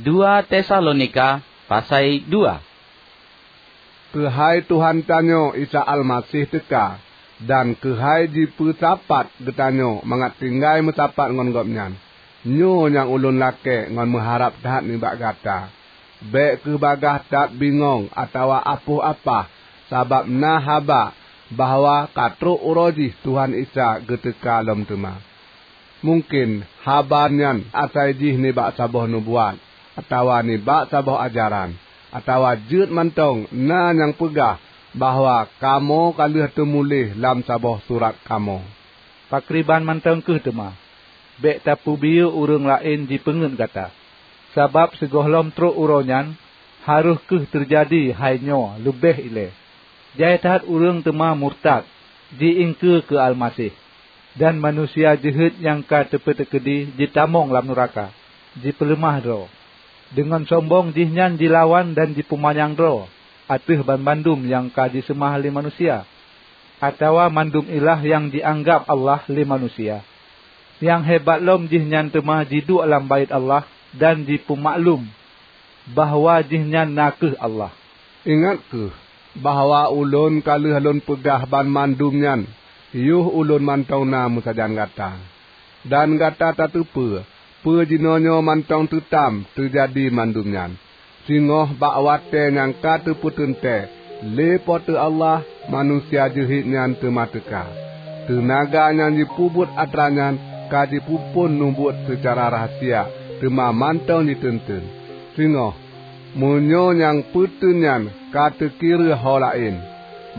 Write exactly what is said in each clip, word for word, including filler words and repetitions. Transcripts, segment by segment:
Dua Tesalonika pasai dua. Keuhai Tuhan tanyoe Isa Almaseh teuka, dan keuhai jipeusapat geutanyoe mangat tinggai meusapat ngon Gobnyan, nyoe nyang ulôn lakée ngon meuharab that nibak gata. Bék kheueh bagaih that bingong atawa apoh-apah, sabab na haba bahwa ka trok uroe jih Tuhan Isa geuteuka lom teuma. Mungken haba nyan asai jih nibak saboh nubuat, atawa nibak saboh ajaran, atawa jeuet mantong na nyang peugah bahwa kamoe ka lheueh teumuléh lam saboh surat kamoe. Pakriban mantong kheueh teuma, bék tapeubiyeu ureuëng laén jipeungeuet gata. Sabab sigohlom trok uroe nyan, harôh kheueh teujadi hai nyoe leubeh ilée. Jai that ureuëng teuma murtad, ji-iengkeue keu Almaseh, dan manusia jeuhet nyang ka teupeuteukeudi jitamong lam nuraka, jipeuleumah droe. Deungon sombong jihnyan jilawan dan jipeumanyang droe ateueh banmandum nyang ka jiseumah lé manusia, atawa mandum ilah nyang jianggab Allah lé manusia. Nyang hebat lom jihnyan teuma jiduek lam Baét Allah dan jipeumaklum bahwa jihnyan na kheueh Allah. Ingat kheueh bahwa ulôn ka lheueh lôn peugah banmandum nyan yoh ulôn mantong na meusajan gata. Dan gata tateupeue peue jinoenyoe mantong teutam teujadi mandum nyan, singoh bak watée nyang ka teupeuteuntée lé Po teu Allah manusia jeuhet nyan teuma teuka. Teunaga nyang jipeubuet atra nyan ka jipeuphon nubuet seucara rahsia, teuma mantong jiteunteun. Singoh, meunyoe nyang peuteun nyan ka teukireuh ho laén,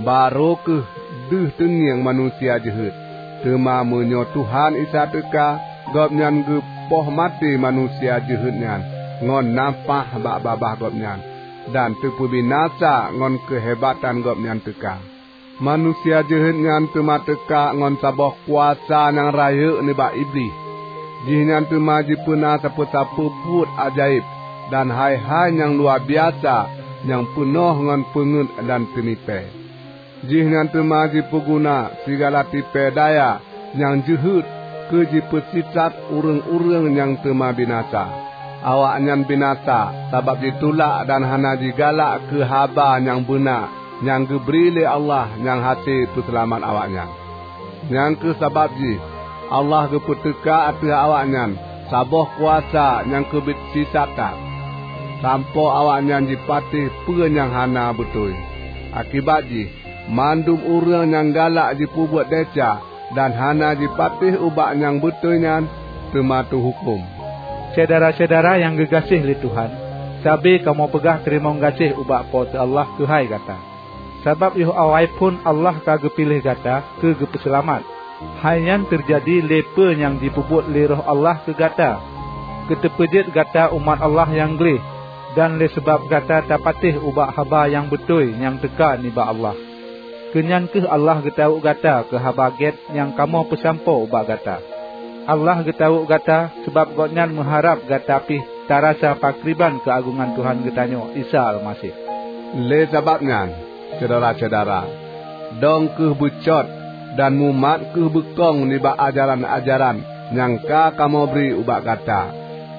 barô kheueh deuh teungieng manusia jeuhet. Teuma meunyoe Tuhan Isa teuka, Gobnyan geupoh maté manusia jeuhet nyan ngon nafáh bak babah Gobnyan, dan teupeubinasa ngon keuhebatan Gobnyan teuka. Manusia jeuhet nyan teuma teuka ngon saboh kuasa nyang rayeuk nibak Iblih. Jihnyan teuma jipeuna sapeue-sapeue buet ajaéb dan hai-hai nyang luwabiasa nyang peunoh ngon peungeuet dan teumipée. Jihnyan teuma jipeuguna sigala tipée daya nyang jeuhet keu jipeusisat ureuëng-ureuëng nyang teuma binasa. Awaknyan binasa sabab jitulak dan hana jigalak keu haba nyang beuna nyang geubri lé Allah nyang hase peuseulamat awaknyan. Nyang kheueh sabab jih Allah geupeuteuka ateueh awaknyan saboh kuasa nyang keubiet sisat that, sampoe awaknyan jipatéh peue nyang hana beutôi. Akibat jih, mandum ureuëng nyang galak jipeubuet desya dan hana jipatéh ubak nyang beutôi nyan teuma teuhuköm. Syedara-syedara nyang geugaséh lé Tuhan, sabe kamoe peugah teurimong gaséh ubak Po teu Allah keuhai gata. Sabab yoh awai phon Allah ka geupiléh gata keu geupeuseulamat. Hai nyan teujadi lé peue nyang jipeubuet lé Roh Allah keu gata, keu teupeujeuet gata umat Allah nyang gleh, dan lé sabab gata tapatéh ubak haba nyang beutôi nyang teuka nibak Allah. Keu nyan kheueh Allah geutawök gata keu Haba Gét nyang kamoe peusampoe ubak gata. Allah geutawök gata sabab Gobnyan meuharab gata pih tarasa pakriban keuagongan Tuhan geutanyoe Isa Almaseh. Lé sabab nyan, syedara-syedara, dong kheueh beucot dan mumat kheueh beukong nibak ajaran-ajaran nyang ka kamoe bri ubak gata,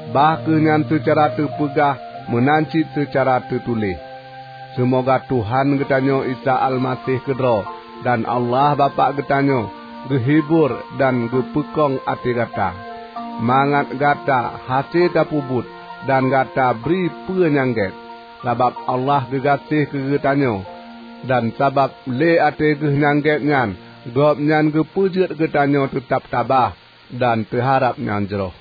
bah kheueh nyan seucara teupeugah meunan cit seucara teutuléh. Seumoga Tuhan geutanyoe Isa Almaseh keudroe dan Allah Bapak geutanyoe geuhibur dan geupeukong até gata, mangat gata hase tapeubuet dan gata bri peue nyang gét. Sabab Allah geugaséh keu geutanyoe, dan sabab lé até Geuh nyang gét nyan, Gobnyan geupeujeuet geutanyoe teutab tabah dan teuharab nyang jroh.